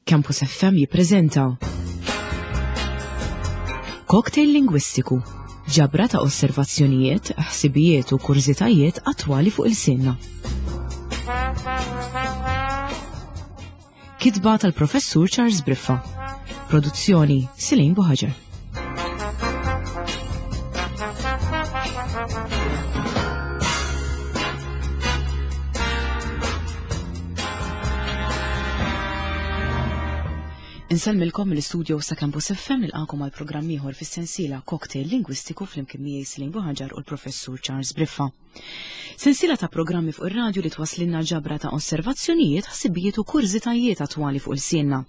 Campus FM jippreżenta Cocktail Lingwistiku, ġabra ta' osservazzjonijiet, ħsibijiet u kurżitajiet attwali fuq il-sinna. Kitba tal-Professur Charles Briffa. Produzzjoni Silin Buħaġar. Insellmilkom mill-istudio sa' Campus FM nilqakom għal programm ieħor fis-sensiela Cocktail Lingwistiku flimkien miegħi Silin Buħaġar u l-Professur Charles Briffa. Sensiela ta' programmi fuq ir-radju li twaslinna ġabra ta' osservazzjonijiet, ħsibijiet u kurżitajiet attwali fuq ilsienna.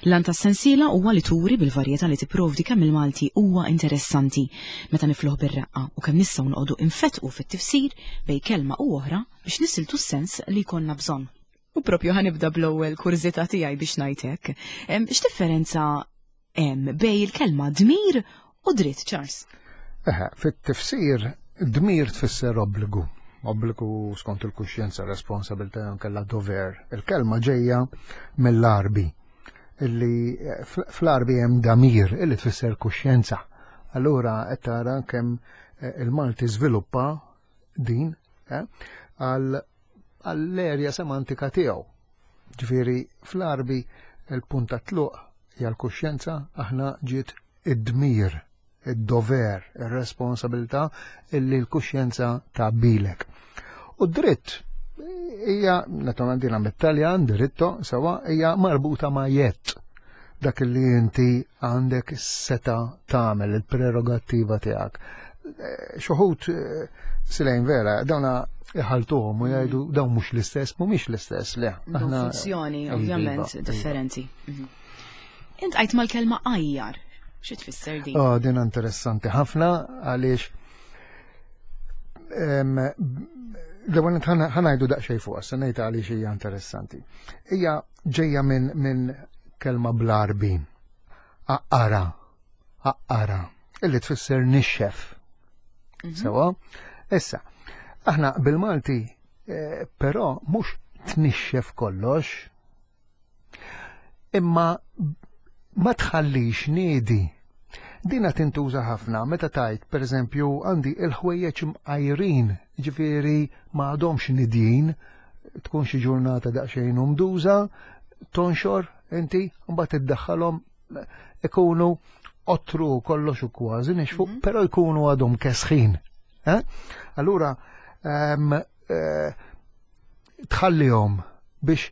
L-għan tas-sensiela huwa li turi bil-varjetà li tipprovdi kemm il-Malti huwa interessanti meta nifluh bir-reqqa u kemm nistgħu noqogħdu infettqu fit-tifsir bejn kelma u oħra biex nisiltu s-sens li jkollna bżonn. U propju ħanibda bl-ewwel kurżità tiegħi biex ngħid hekk. X'differenza hemm bejn il-kelma dmir u dritt, Charles? Eħe, fit-tifsir dmir tfisser obbligu. Obbligu skont il-kuxjenza, responsabilità kella dover. Il-kelma ġejja mill-Arbi illi eh, fl-Arbi hemm damir illi tfisser kuxjenza. Allura qed tara kemm eh, il-Malti żviluppa din eh, għall-erja semantika tiegħu. Ġifieri fl-Arbi il-punt ta' tluq hija l-kuxjenza aħna ġiet id-dmir, id-dover, ir-responsabilità illi l-kuxjenza tgħabbilek. U d-dritt hija, naturalment dina mit-Taljan, diritto, sewa, hija marbuta ma' jett dak li inti għandek seta tagħmel il-prerogattiva tiegħek. Eh, Xuħut eh, silejn vera, dawna iħaltuhom u jgħidu mm. dawn mhux l-istess, mhumiex l-istess, le. Aħna funzjoni iva, ovvjament iva. differenti. Mhm. Int għajt mal-kelma ajjar. Xi tfisser din? Oh, din interessanti ħafna għaliex l-ewwel ħanajdu daqsxejn fuq, se ngħid għaliex hija interessanti. Hija ġejja minn min kelma bl-Arbi. Aqqara, aqqara, illi tfisser nixxef. Mhm. Sewa? Issa, aħna bil-Malti eh, però mhux tnixxef kollox, Imma ma tħallix niedi. Dina tintuża ħafna meta tajt, per eżempju, għandi il-ħwejjeġ mqajrin, ġifieri ma għadhomx nidjin, tkun xi ġurnata daqsxejn umduża, tonxor inti, mbagħad iddaħħalhom ikunu ottru kollox u kważi nixfu, mm -hmm. però jkunu għadhom kesħin. Eh? Allura, um, uh, tħallihom biex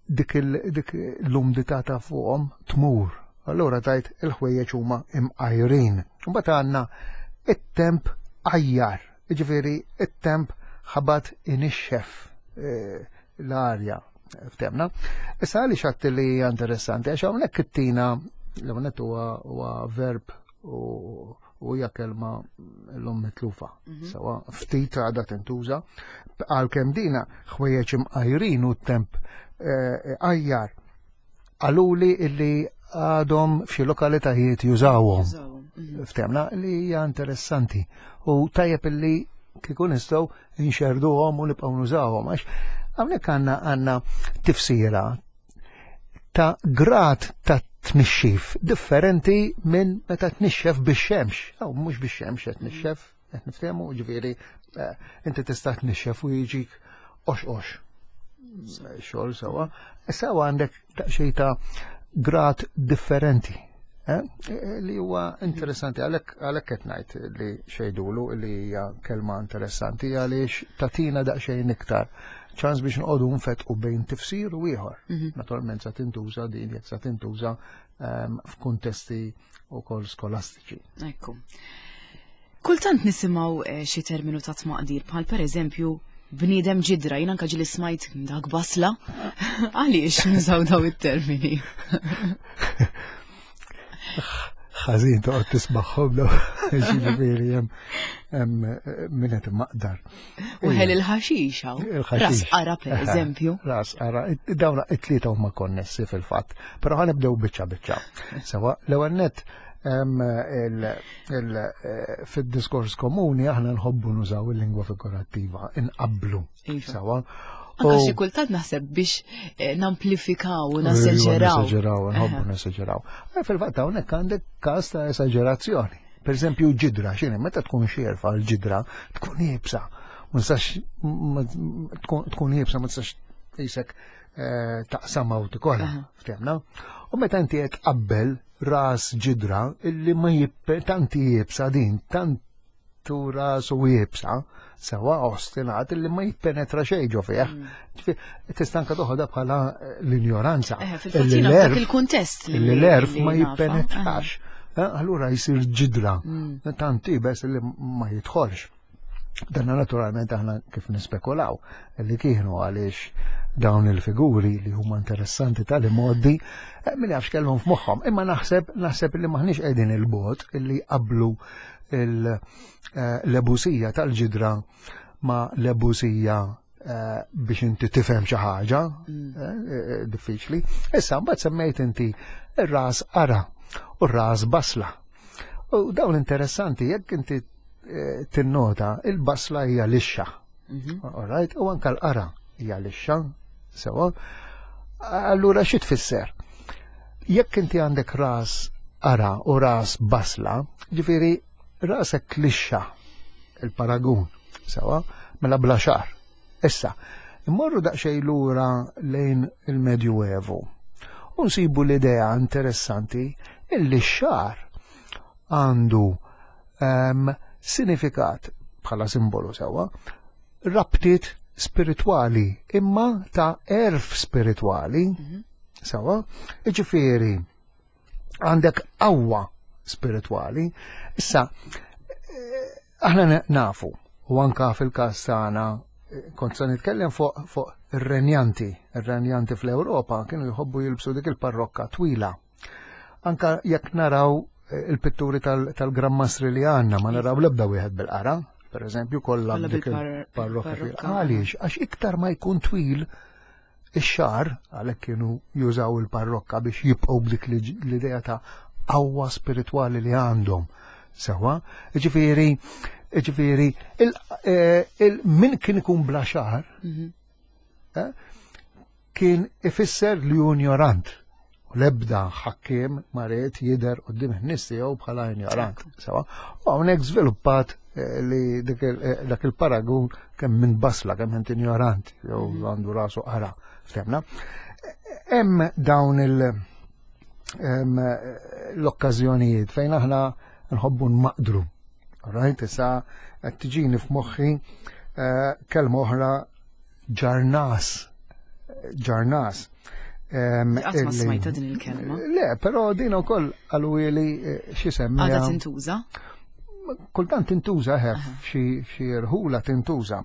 dik l-umdità ta' fuqhom tmur. Allura tajt il-ħwejjeġ huma imqajrin. Mbagħad għandna it-temp ajjar, jiġifieri it-temp ħabat inixxef eh, l-arja ftemna. Issa għaliex għatti li hija interessanti għax hawnhekk it-tina l-hawnhekk huwa verb u u hija kelma l-lum mitlufa. Mhm. Sawa, ftit għadha tintuża, għalkemm dina ħwejjeġ imqajrin u temp eh, ajjar għaluli illi għadhom f'xi lokalitajiet jużawhom. Mhm. Ftemna li hija interessanti u tajjeb illi kieku nistgħu nxerduhom u nibqgħu nużawhom għax hawnhekk għandna għandna tifsira ta' grad ta' tnixxif differenti minn meta tnixxef bix-xemx. Aw mhux bix-xemx qed tnixxef, qed niftehmu, ġifieri eh, inti tista' tnixxef u jiġik ox-ox. Xogħol sewwa. Issa għandek daqsxejn ta' grad differenti. Eh, eh, li huwa interessanti għalhekk għalhekk qed ngħid li xejdulu li hija kelma interessanti għaliex tatina daqsxejn iktar ċans biex nqogħdu nfetqu bejn tifsir u ieħor. Mhm. Naturalment sa tintuża din jekk sa tintuża ehm, f'kuntesti wkoll skolastiċi. Ekku. Kultant nisimgħu eh, xi terminu ta' tmaqdir bħal pereżempju bniedem ġidra, jien anka ġili smajt dak basla. Għaliex nużaw daw it-termini? Ħażin toqgħod tismagħhom daw ġifieri hemm min qed maqdar. U ħel il-ħaxix hawn. Ras qara pereżempju. Ras qara, dawn it-tlieta huma konnessi fil-fatt. Però ħanibdew biċċa biċċa. Sewa l-ewwel nett Eh, fid-diskors komuni aħna nħobbu nużaw il-lingwa figurattiva, inqablu. Iva. Sawa. Anka xi kultant naħseb biex eh, namplifikaw u naseġeraw. Naseġeraw, nħobbu naseġeraw. Eh, fil-fatt hawnhekk għandek każ ta' esaġerazzjoni. Per eżempju, ġidra, xini, meta tkun xierfa l-ġidra, tkun jibsa. Ma tistax tkun jibsa, ma tistax jisek eh, taqsama u tikola, ftemna. U meta inti qed tqabbel ras ġidra illi ma tanti jibsa din, tant tu rasu iebsa, sewa ostinat li ma jippenetra xejn ġo fih. Mm. Tista' anke toħodha bħala eh, l-injoranza. Eh, fil-fatt il-kuntest li l-erf ma jippenetrax. Eh, allura jsir ġidra, mm. tant ibes li ma jidħolx. Dan naturalment aħna kif nispekulaw li kienu għaliex dawn il-figuri li huma interessanti tal-modi min jafx kellhom f'moħħhom. Imma naħseb naħseb li maħniex qegħdin il-bot illi qablu l-ebusija tal-ġidra ma l-ebusija eh, biex inti tifhem xi ħaġa mm. eh, eh, diffiċli. Issa mbagħad semmejt inti ir-ras qara u r-ras basla. U dawn interessanti jekk inti tinnota il-basla hija lixxa. Mhm. All right, u anka l-qara hija lixxa, sewa. Allura xi tfisser? Jekk inti għandek ras qara u ras basla, ġifieri rasek lixxa il-paragun, sewa, mela bla xar. Issa, immorru daqsxejn lura lejn il-Medjuevu u nsibu l-idea interessanti illi x-xar għandu um, sinifikat bħala simbolu sewa, rabtiet spiritwali imma ta' erf spiritwali mm -hmm. Sawa? Iġifieri għandek qawwa spiritwali. Issa, eh, aħna nafu, u anka fil-każ tagħna eh, kont se nitkellem fuq fu ir-renjanti. Ir-renjanti fl-Ewropa kienu jħobbu jilbsu dik il-parrokka twila. Anka jekk naraw eh, il-pitturi tal-Gran Mastri li għandna, ma naraw l-ebda wieħed bil-qara, per eżempju, kollha dik il-parrokka twila. Għaliex, għax iktar ma jkun twil, Ix-xagħar, għalhekk kienu jużaw il-parrokka biex jibqgħu b'dik l-idea ta' qawwa spiritwali li għandhom. Sewa, ġifieri, ġifieri, eh, min kien ikun bla xagħar, mhm. eh, kien ifisser li hu ignorant. L-ebda ħakkiem ma ried jidher quddiem in-nies tiegħu bħala injorant. Sewa. U hawnhekk żviluppat eh, li eh, dak il-paragun kemm minn basla kemm int injorant jew mm. għandu rasu qara. Ftemna. Hemm dawn il- l-okkażjonijiet fejn aħna nħobbu nmaqdru. Right, issa qed tiġini f'moħħi eh, kelma oħra ġarnas. Ġarnas. Qatt ma smajta din il-kelma. Le, però din ukoll għalwieli eh, xi semmi. Għadha tintuża? Kultant tintuża ħef xi rħula tintuża.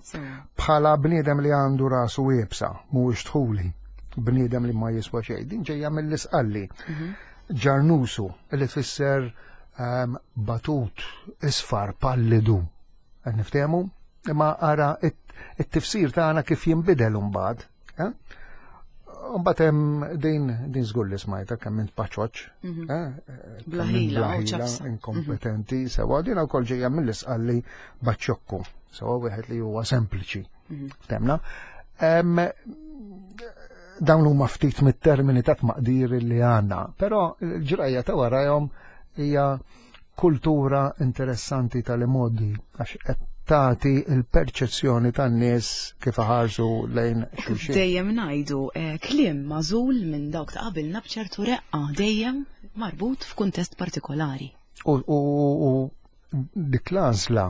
Bħala bniedem li għandu rasu iebsa, mhuwiex dħuli, bniedem li ma jiswa xejn. Din ġejja mill-isqalli. Mhm. Ġarnusu, li tfisser ehm, batut, isfar, pallidu. Qed niftehmu? Imma ara it-tifsir tagħna kif jinbidel imbagħad. Eh? Mbagħad hemm din din żgur li smajta kemm int paċoċ, mhm. eh? Blaħila, inkompetenti, mhm. sewa din ukoll ġejja mill-isqalli baċċokku, sewa wieħed li huwa sempliċi. Mhm. Ftemna. Dawn huma ftit mit-termini ta' tmaqdir li għandna, però l-ġrajja ta' warajhom hija kultura interessanti tal-imoddi għax qed tagħti l-perċezzjoni tan-nies kif iħarsu lejn xulxin. Dejjem ngħidu eh, kliem magħżul minn dawk ta' qabilna b'ċertu reqqa dejjem marbut f'kuntest partikolari. U, u, u dik l-għażla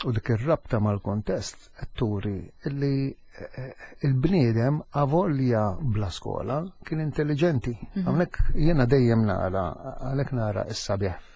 u dik ir-rabta mal-kontest qed turi li eh, il-bniedem avolja bla skola kien intelligenti. Mhm. Hawnhekk jiena dejjem nara, għalhekk nara s-sabiħ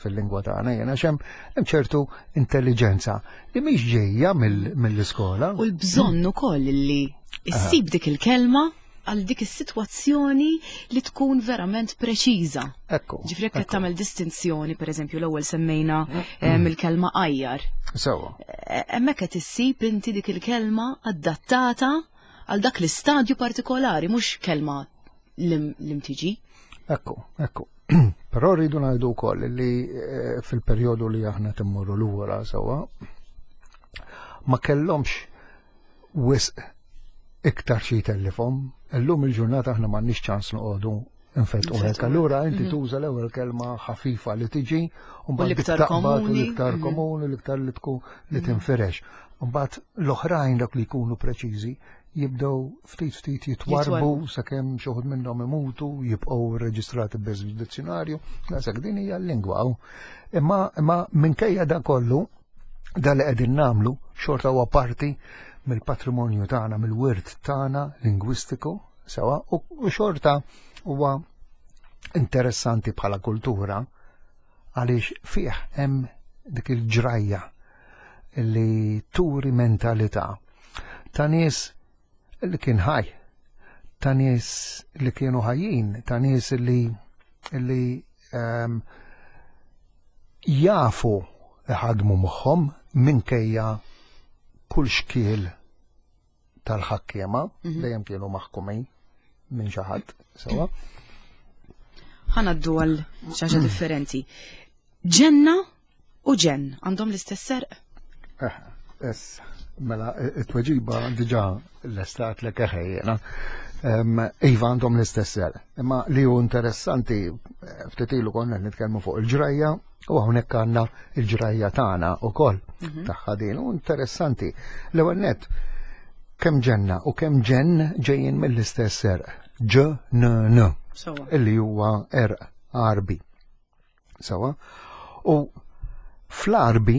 fil-lingwa tagħna jiena xem hemm ċertu intelligenza li mhix ġejja mill-iskola. U l-bżonn ukoll li issib dik il-kelma għal dik is-sitwazzjoni li tkun verament preċiża. Ekku. Ġifri jekk qed tagħmel distinzjoni, pereżempju l-ewwel semmejna eh, mill-kelma ajjar. Sewwa. Eh, hemmhekk qed issib inti dik il-kelma adattata għal dak l-istadju partikolari, mhux kelma l-imtiġi. Ekku, ekku. Però rridu ngħidu wkoll li eh, fil-perjodu li aħna timmorru lura sewwa ma kellhomx wisq iktar xi jtellifhom. Illum il-ġurnata aħna m'għandniex ċans noqogħdu nfetqu hekk. Allura inti tuża l-ewwel kelma ħafifa li tiġi u mbagħad l-iktar komuni. L-iktar komuni, l-iktar li tkun li tinfirex. Mbagħad l-oħrajn dak li jkunu preċiżi jibdew ftit ftit jitwarbu sakemm xi wħud minnhom imutu, jibqgħu rreġistrati biss fid-dizzjonarju, daqshekk din hija l-lingwa. Imma imma minkejja dan kollu, dan li qegħdin nagħmlu xorta huwa parti mill-patrimonju tagħna, mill-wirt tagħna lingwistiku, sewa, u xorta huwa interessanti bħala kultura għaliex fih hemm dik il-ġrajja li turi mentalità ta' nies li kien ħaj, ta' nies li kienu ħajjin, ta' nies li li jafu iħadmu moħħhom minkejja kull xkiel tal-ħakkiema, dejjem kienu maħkumin minn xi ħadd, sewa. Ħanaddu għal xi ħaġa differenti. Ġenna u ġenn għandhom l-istess serq? Eh, issa, mela, it-tweġiba diġà l-estat l eħejjena. Iva għandhom l-istess serq. Imma li hu interessanti, ftit ilu konna nitkellmu fuq il-ġrajja, u hawnhekk għandna il-ġrajja tagħna wkoll tagħha din. U interessanti. L-ewwel nett, kemm ġenna u kemm ġenn ġejjin mill-istess serq. Ġ N N. Illi huwa erq Għarbi. Sawa? U fl-Għarbi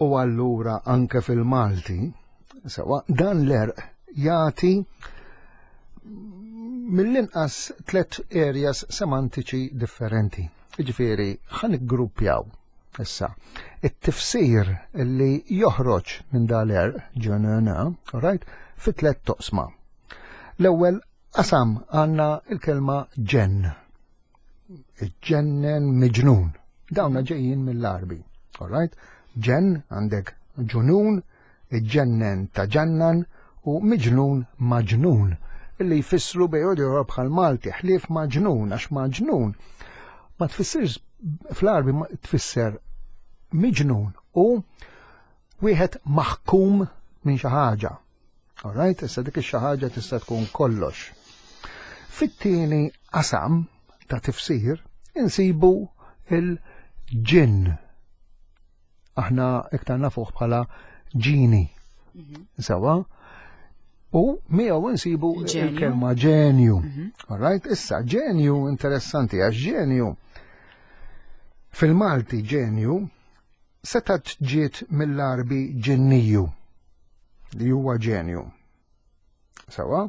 u allura anke fil-Malti, sawa, dan l-erq jagħti mill-inqas tlet areas semantiċi differenti. Jiġifieri ħa niggruppjaw issa it-tifsir li joħroġ minn dal-erq ġenena, right, fi tlet toqsma. L-ewwel qasam għandna il-kelma ġenn. Ġennen miġnun. Dawna ġejjin mill-Għarbi. All right? Ġenn għandek ġunun, iġġennen taġannan u miġnun maġnun illi jfissru bejn u bħal Malti ħlief maġnun għax maġnun ma tfissirx fl-Għarbi tfisser miġnun u wieħed maħkum minn xi ħaġa. All right, issa dik ix-xi ħaġa tista' tkun kollox. Fit-tieni qasam ta' tifsir insibu il-ġinn. Aħna iktar nafuh bħala ġini. Sawa? U miegħu nsibu il-kelma ġenju. All right, issa ġenju interessanti għax ġenju fil-Malti ġenju setgħet ġiet mill-Għarbi ġinniju li huwa ġenju. Sawa?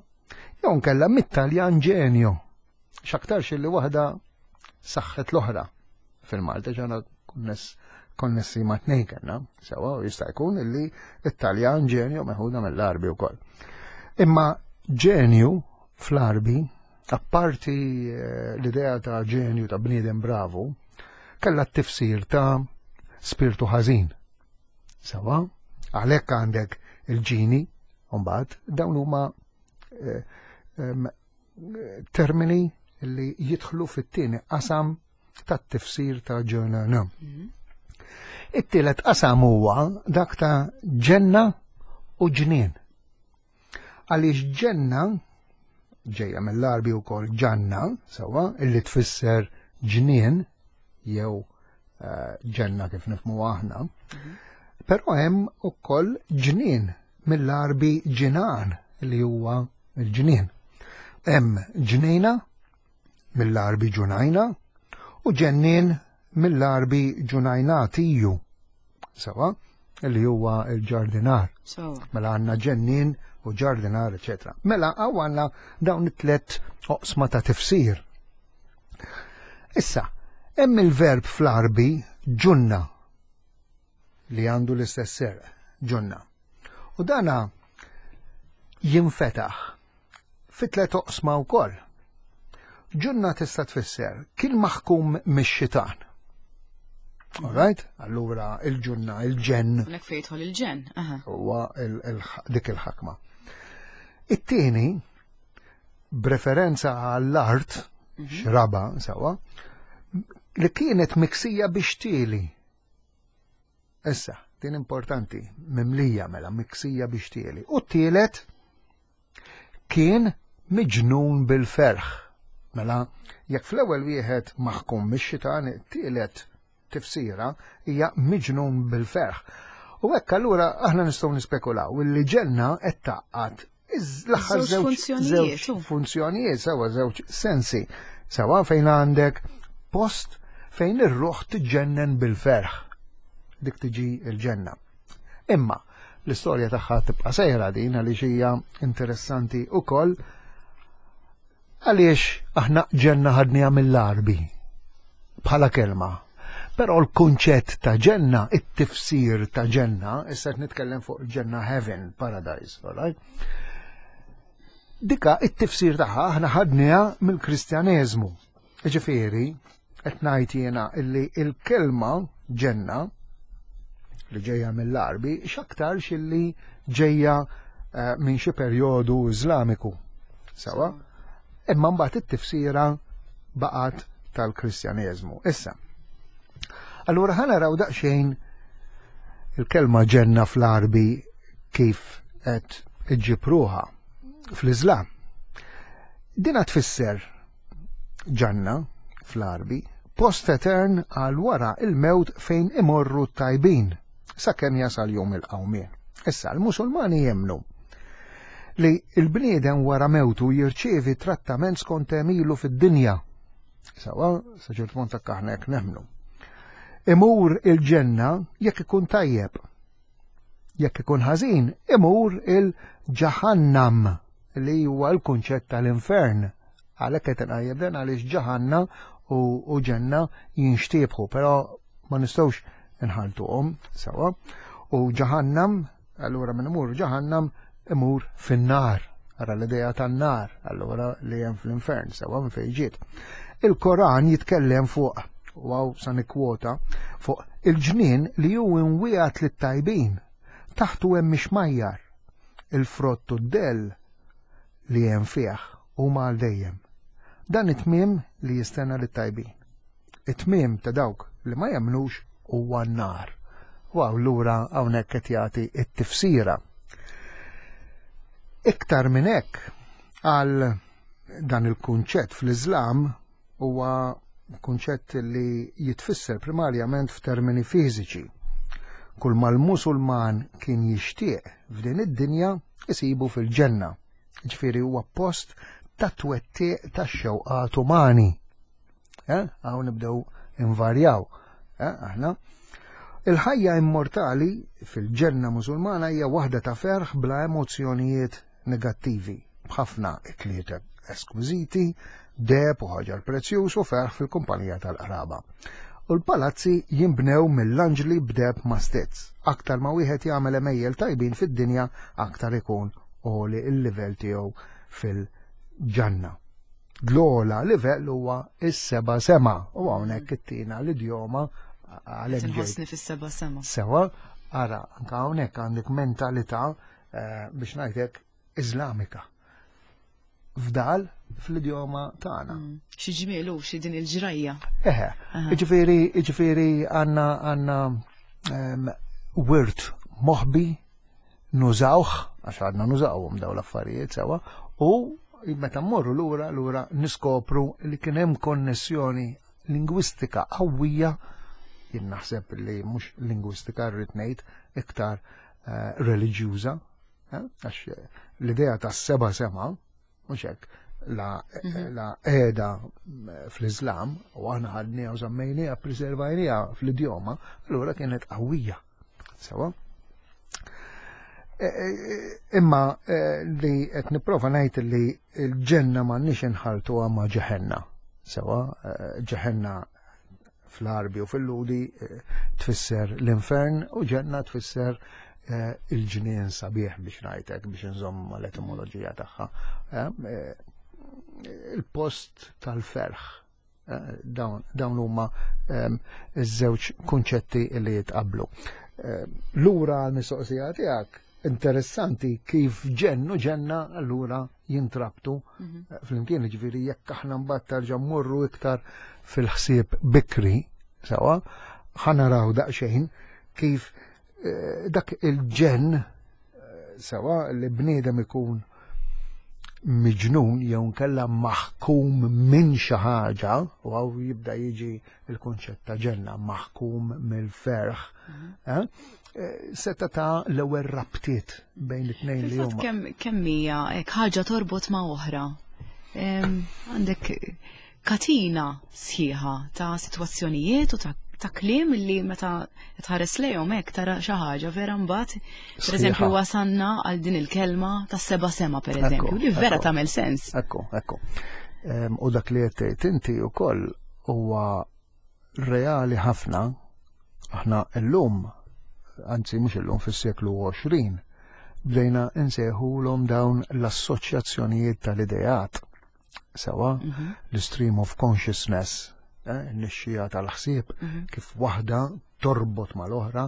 Jew nkella mit-Taljan ġenju. X'aktarx li waħda saħħet l-oħra fil-Malta ġana konness konnessi ma' tnejn kellna, sewa, u jista' jkun illi it-Taljan ġenju meħuda mill-Għarbi wkoll. Imma ġenju fl-Għarbi, apparti eh, l-idea ta' ġenju ta' bniedem bravu, kellha t-tifsir ta' spirtu ħażin. Sewa, għalhekk għandek il-ġini, mbagħad dawn huma eh, termini li jidħlu fit-tieni qasam tat-tifsir ta' ġurnana. It-tielet qasam huwa dak ta' ġenna u ġnien. Għaliex ġenna ġejja mill-Għarbi wkoll ġanna, sewwa, illi tfisser ġnien jew eh, ġenna kif nifhmu aħna. Però hemm ukoll ġnien mill-Għarbi ġinan li huwa l-ġnien. Hemm ġnejna mill-Għarbi ġunajna u ġennien mill-Għarbi ġunajnatiju. Sawa, li huwa l-ġardinar. Mela għandna ġennien u ġardinar, eċetera. Mela hawn għandna dawn it-tlet oqsma ta' tifsir. Issa, hemm il-verb fl-Għarbi ġunna li għandu l-istess serq, ġunna. U dana jinfetaħ fi tlet oqsma wkoll. Ġunna tista' tfisser kien maħkum mix-xitan. All right? Allura il-ġunna, il-ġenn. Nek fejn jidħol il-ġenn. Huwa dik il-ħakma. It-tieni, b'referenza għall-art, xraba, sawa, li kienet miksija biex tieli. Issa, din importanti, mimlija mela, miksija biex tieli. U t-tielet, Kien miġnun bil-ferħ. Mela, jekk fl-ewwel wieħed maħkum mix-xitan, it-tielet tifsira hija miġnun bil-ferħ. U hekk allura aħna nistgħu nispekulaw illi ġenna qed tgħaqqad l-aħħar żewġ funzjonijiet, sewa żewġ sensi. Sewa fejn għandek post fejn ir-ruħ tiġġennen bil-ferħ. Dik tiġi l-ġenna. Imma l-istorja tagħha tibqa' sejra din għaliex hija interessanti wkoll għaliex aħna ġenna ħadniha mill-Għarbi bħala kelma. Però l-kunċett ta' ġenna, it-tifsir ta' ġenna, issa qed nitkellem fuq ġenna heaven, paradise, all right? Dika it-tifsir tagħha aħna ħadniha mill-Kristjaneżmu. Ġifieri, qed ngħid jiena illi il-kelma ġenna li ġejja mill-Għarbi x'aktarx illi ġejja eh, minn xi perjodu Iżlamiku. Sawa? Imma mbagħad it-tifsira baqgħet tal-Kristjaneżmu. Issa, allura ħa naraw daqsxejn il-kelma ġenna fl-Għarbi kif qed iġġib ruħha fl-Iżlam. Dina tfisser Ġanna, fl-Għarbi, post etern għal wara il-mewt fejn imorru t-tajbin, sakemm jasal jum il-qawmien. Issa, l-Musulmani jemmnu li l-bniedem wara mewtu jirċievi trattament skont għemilu fid-dinja. Sawa, sa ċert punt aħna hekk nemmnu. Imur il-ġenna jekk ikun tajjeb. Jekk ikun ħażin, imur il-ġahannam li huwa l-kunċett tal-infern. Għalhekk qed inqajjem dan għaliex ġaħanna u ġenna jinxtiebħu, però ma nistgħux inħaltuhom sewa. U ġahannam, allura min imur ġahannam imur fin-nar. Ara l-idea tan-nar, allura li hemm fl-infern, sewa minn fejn ġiet. Il-Koran jitkellem fuq, u hawn sa nikkwota, fuq il-ġnien li hu imwiegħed lit-tajbin, taħtu hemm ixmajjar, il-frott u d-dell li hemm fih huma għal dejjem. Dan it-tmiem li jistenna lit-tajbin. It-tmiem ta' dawk li ma jemmnux huwa n-nar. U allura hawnhekk qed jagħti t-tifsira. Iktar minn hekk għal dan il-kunċett fl-Iżlam huwa kunċett li jitfisser primarjament f'termini fiżiċi. Kull ma l-Musulman kien jixtieq f'din id-dinja isibu fil-ġenna. Ġifieri huwa post ta' twettiq tax-xewqat umani. Eh? Hawn nibdew invarjaw. Eh? Aħna. Il-ħajja immortali fil-ġenna Musulmana hija waħda ta' ferħ bla emozzjonijiet negattivi, b'ħafna ikliet eskwiżiti, deheb u ħaġar prezzjuż u ferħ fil-kumpanija tal-qraba. U l-palazzi jinbnew mill-anġli b'deheb mastizz. Aktar ma wieħed jagħmel għemejjel tajbin fid-dinja, aktar ikun għoli l-livell tiegħu fil-ġanna. L-ogħla livell huwa s-seba' sema u hawnhekk ittina l-idjoma għalhekk. Inħossni fis-seba' sema. Sewa, ara, anke hawnhekk għandek mentalità eh, biex ngħidlek Iżlamika. Fdal fl-idjoma tagħna. Mm. Xi ġmielu, xi din il-ġrajja. Eħe, ġifieri ġifieri għandna għandna ehm, wirt moħbi nużawh, għax għadna nużawhom daw l-affarijiet sewa, u meta mmorru lura lura niskopru li kien hemm konnessjoni lingwistika qawwija jien naħseb li mhux lingwistika rrid ngħid iktar eh, reliġjuża, eh, għax eh, l-idea ta' seba sema, mhux hekk, la, mhm. la qiegħda fl-Islam u aħna ħadniha u żammejniha preservajniha fl-idjoma, allura kienet qawwija. Sewa? Imma li qed nipprova ngħid li l-ġenna m'għandniex inħaltuha ma' ġeħenna. Sewa, ġeħenna fl-Għarbi u fil-Lhudi eh, tfisser l-infern u ġenna tfisser eh, il-ġnien sabiħ biex ngħidlek biex nżomm l-etimoloġija tagħha. Eh, il-post tal-ferħ. Dawn huma iż-żewġ kunċetti li jitqablu. Lura għal-mistoqsija tiegħek, interessanti kif ġennu ġenna allura jintrabtu mhm. eh, flimkien, ġifieri jekk aħna mbagħad tarġa' mmorru iktar fil-ħsieb bikri, sewa, ħanaraw daqsxejn kif eh, dak il-ġen eh, sewa li bniedem ikun miġnun jew nkella maħkum minn xi ħaġa, u hawn jibda jiġi il-kunċett ta' ġenna, maħkum mill-ferħ, eh, seta ta' l-ewwel rabtiet bejn it-tnejn li huma. Kemm hija hekk ħaġa torbot ma' oħra. Għandek katina sħiħa ta' sitwazzjonijiet u ta' kliem li meta tħares lejhom hekk tara xi ħaġa vera mbagħad pereżempju wasanna għal din il-kelma tas seba' sema pereżempju li vera tagħmel sens. Ekku, ekku. U dak li qed tgħid inti wkoll huwa reali ħafna. Aħna llum, anzi mhux illum, fis-seklu 20, bdejna nsejħulhom dawn l-assoċjazzjonijiet tal-ideat. Sewa, l-stream of consciousness, nixxija tal-ħsieb, kif waħda torbot mal-oħra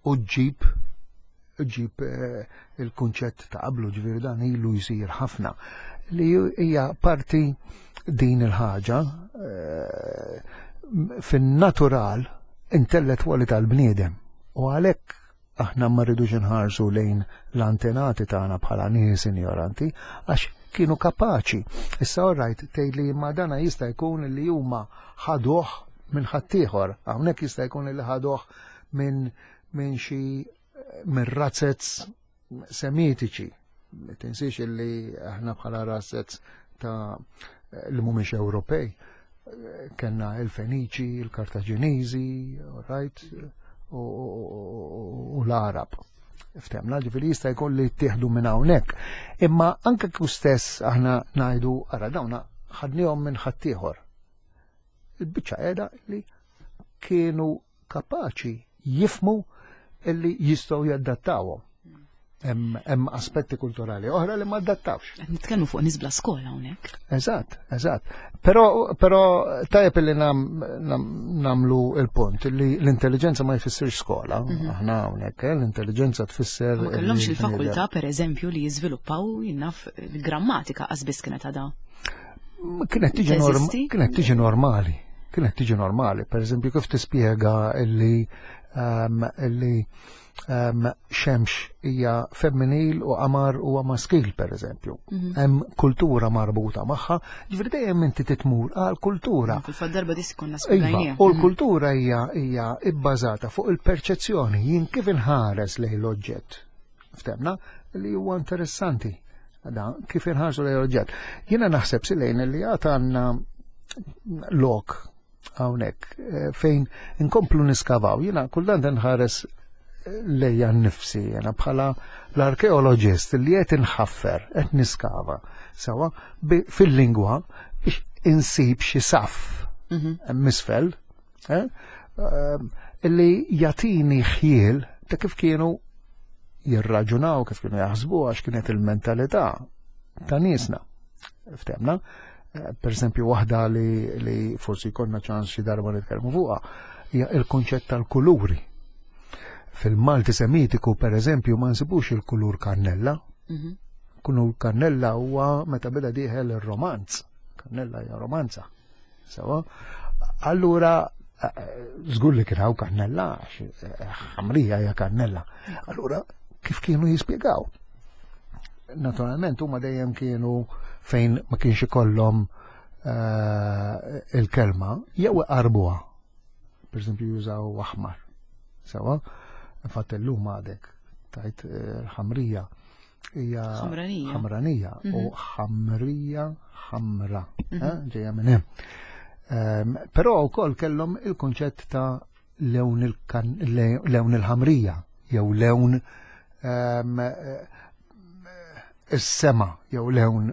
u ġġib il-kunċett ta' qablu, ġifieri dan ilu jsir ħafna. Li hija parti din il-ħaġa fin-natural intellettwali tal-bniedem. U għalhekk aħna ma rridux inħarsu lejn l-antenati tagħna bħala nies injoranti, għax kienu kapaċi. Issa orrajt tgħid li ma dana jista' jkun li huma ħaduh minn ħaddieħor, hawnhekk jista' jkun li ħaduh minn xi minn razzez semitiċi. Tinsiex li aħna bħala razzez ta' li mhumiex Ewropej, kellna il-Feniċi, il-Kartaġiniżi, right, u l-Arab. Ftemna, ġifieri jista' jkun li ttieħdu minn hawnhekk. Imma anke kif stess aħna ngħidu ara dawna ħadnihom minn ħaddieħor. Il-biċċa qiegħda li kienu kapaċi jifmu illi jistgħu jadattawhom. Hemm aspetti kulturali oħra li ma adattawx. Qed nitkellmu fuq nies bla skola hawnhekk. Eżatt, eżatt. Però tajjeb li namlu il-punt li l-intelligenza ma jfissirx skola. Aħna hawnhekk l-intelligenza tfisser Ma kellhomx il-fakultà pereżempju li jiżviluppaw jinnaf il-grammatika qas kienet għadha. Kienet tiġi kienet tiġi normali. Kienet tiġi normali. Per eżempju, kif tispjega illi xemx hija femminil u qamar huwa maskil, per eżempju. Hemm kultura marbuta magħha, ġifieri dejjem inti titmur għal kultura. Fil-fatt darba dis konna Iva, spjegajniha. u l-kultura hija ibbażata fuq il-perċezzjoni, jien kif inħares lejn l-oġġett. Ftemna li huwa interessanti. Da, kif inħarsu lejn l-oġġett. Jiena naħseb silejn li għad għandna lok hawnhekk fejn inkomplu niskavaw. Jiena kultant nħares lejja nnifsi, jiena bħala l-arkeologist li qed inħaffer, qed niskava, sewa fil-lingwa biex insib xi saff misfel, illi jatini ħjiel ta' kif kienu jirraġunaw, kif kienu jaħsbu, għax kienet il-mentalità ta' niesna. Ftemna, per esempio, waħda li forsi konna ċans xi darba nitkellmu fuqha hija il-konċett tal-kuluri. Fil-Malti Semitiku, per eżempju, ma nsibux il-kulur kannella. Kulur kannella huwa meta beda dieħel ir-romanz. Kannella hija romanza. Sewa. Allura, żgur li kien hawn kannella, għax ħamrija hija kannella. Allura, kif kienu jispjegaw? Naturalment, huma dejjem kienu fejn ma kienx ikollhom il-kelma, jew iqarbuha. Per eżempju, jużaw aħmar. Sewa, infatti llum għadek tajt ħamrija hija Ħamranija. ħamranija u ħamrija ħamra, ġejja minn hemm. Però wkoll kellhom il-kunċett ta' lewn il-ħamrija jew lewn is-sema jew lewn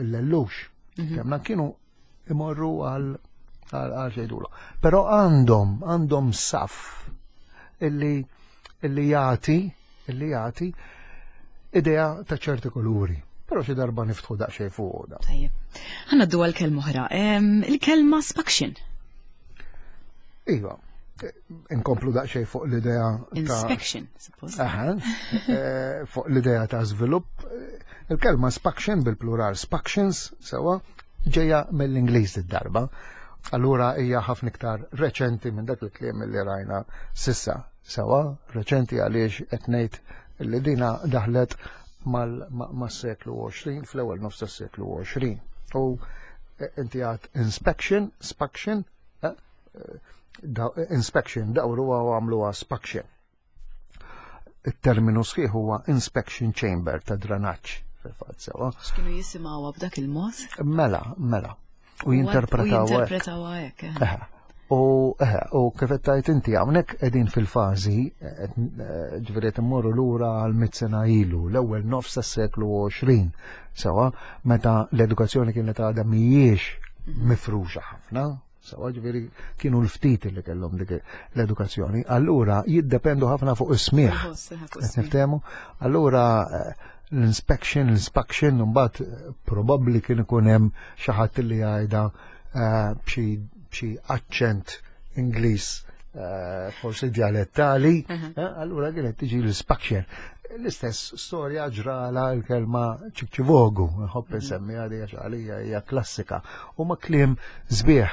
l-lellux. Kemna kienu imorru għal xejdulu. Però għandhom saf illi jagħti idea ta' ċerti kuluri. Però xi darba niftħu daqsxejn fuq da. Tajjeb. Ħa ngħaddu għal kelma oħra. Il-kelma spaction. Iva, inkomplu daqsxejn fuq l-idea ta' Inspection, suppost. Aha, fuq l-idea ta' żvilupp. Il-kelma spaction bil-plural spactions, sewa, ġeja mill-Ingliż id-darba. Allura hija ħafna iktar reċenti minn dak il-kliem li rajna sissa. Sewa, reċenti għaliex qed ngħid li dina daħlet mas-seklu 20, fl-ewwel nofs tas-seklu 20. U eh, inti għad inspection, spaction, eh, eh, inspection, dawru għamluha spaction. Il-terminu sħiħ huwa inspection chamber ta' dranaġġ fil-fatt sewa. X'kienu jisimgħuha b'dak il-mod? Mela, mela. U jinterpretaw. Jinterpretaw hekk. Eh. U eh, u kif qed tgħid inti hawnhekk qegħdin fil-fażi eh, ġifieri qed immorru lura għal mit sena ilu, l-ewwel nofs tas-seklu 20, sewa meta l-edukazzjoni kienet għadha mhijiex mhm. mifruxa ħafna, Sawa ġifieri kienu l-ftit li kellhom dik l-edukazzjoni. Allura jiddependu ħafna fuq is-smieħ. Niftehmu? Allura eh, l-inspection, l-inspection, mbagħad eh, probabbli kien ikun hemm xi ħadd li jgħidha eh, b'xi aċċent Ingliż forsi dialettali, allura kienet tiġi l-inspection. L-istess storja ġrala l-kelma ċikċivogu, nħobb mhm. insemmi għalija għax għalija hija klassika. U ma kliem sbieħ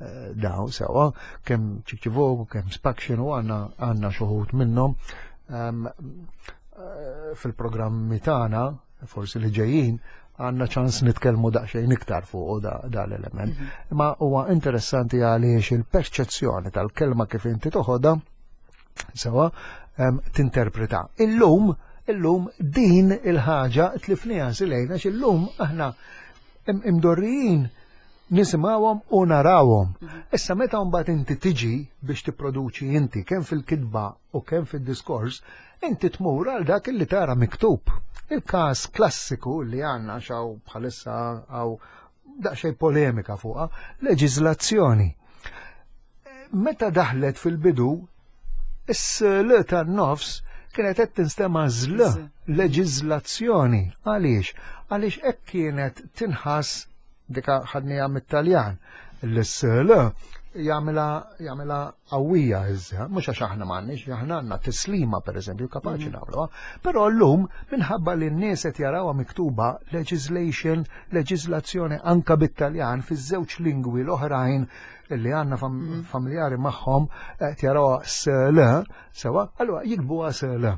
eh, daw sewa, kemm ċikċivogu, kemm spaction u għanna għanna xuħut minnhom ehm, eh, fil-programmi tagħna, forsi li ġejjin, għanna ċans nitkellmu daqsxejn iktar fuq da, da l-element. Mhm. Ma huwa interessanti għaliex il-perċezzjoni tal-kelma kif inti toħodha sewa ehm, tinterpreta. Illum, illum din il-ħaġa tlifniha silejna illum aħna imdorrijin nisimgħuhom u narawhom. Mhm. Issa meta mbagħad inti tiġi biex tipproduċi inti kemm fil-kitba u kemm fid-diskors, inti tmur għal dak li tara miktub. Il-każ klassiku li għandna xaw bħalissa għaw daqsxejn polemika fuqha, leġiżlazzjoni. Meta daħlet fil-bidu, is-l tan-nofs kienet qed tinstema' żl leġiżlazzjoni. Għaliex? Għaliex hekk kienet tinħass dika ħadniha mit-Taljan. L-sl jagħmilha jagħmilha qawwija iżda, mhux għax aħna m'għandniex, aħna għandna tislima pereżempju kapaċi mm. nagħmluha, però llum minħabba li n-nies qed jarawha miktuba legislation, leġislazzjoni anka bit-Taljan fiż-żewġ lingwi l-oħrajn li għandna mm. familjari magħhom qed jarawha sl, sewa, allura jikbuha sl.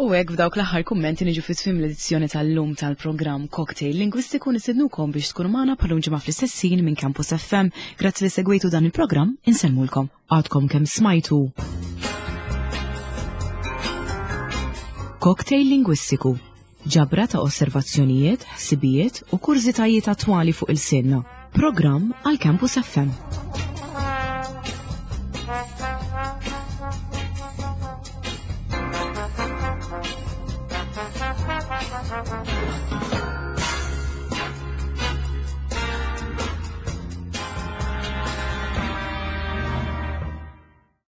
U hekk f'dawk l-aħħar kummenti niġu fi tmiem l-edizzjoni tal-lum tal-programm Cocktail Lingwistiku nistednukom biex tkunu magħna bħalum ġimgħa fl-istess ħin minn Campus FM. Grazzi li segwejtu dan il-programm, insellmulkom. Għadkom kemm smajtu. Cocktail Lingwistiku ġabra ta' osservazzjonijiet, ħsibijiet u kurżitajiet attwali fuq il-sinna. Programm għal Campus FM.